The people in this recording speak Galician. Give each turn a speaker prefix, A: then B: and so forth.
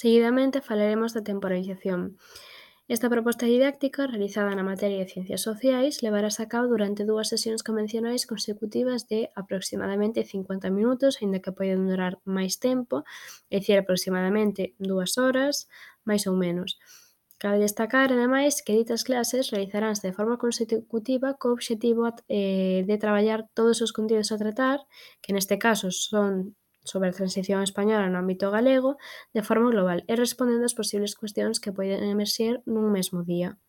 A: Seguidamente falaremos da temporalización. Esta proposta didáctica, realizada na materia de Ciencias Sociais, levarase a cabo durante 2 sesións convencionais consecutivas de aproximadamente 50 minutos, aínda que poden durar máis tempo, é dicir, aproximadamente 2 horas, máis ou menos. Cabe destacar, ademais, que ditas clases realizaranse de forma consecutiva co obxectivo de traballar todos os contidos a tratar, que neste caso son sobre a transición española no ámbito galego, de forma global e respondendo ás posibles cuestións que poden emerxer nun mesmo día.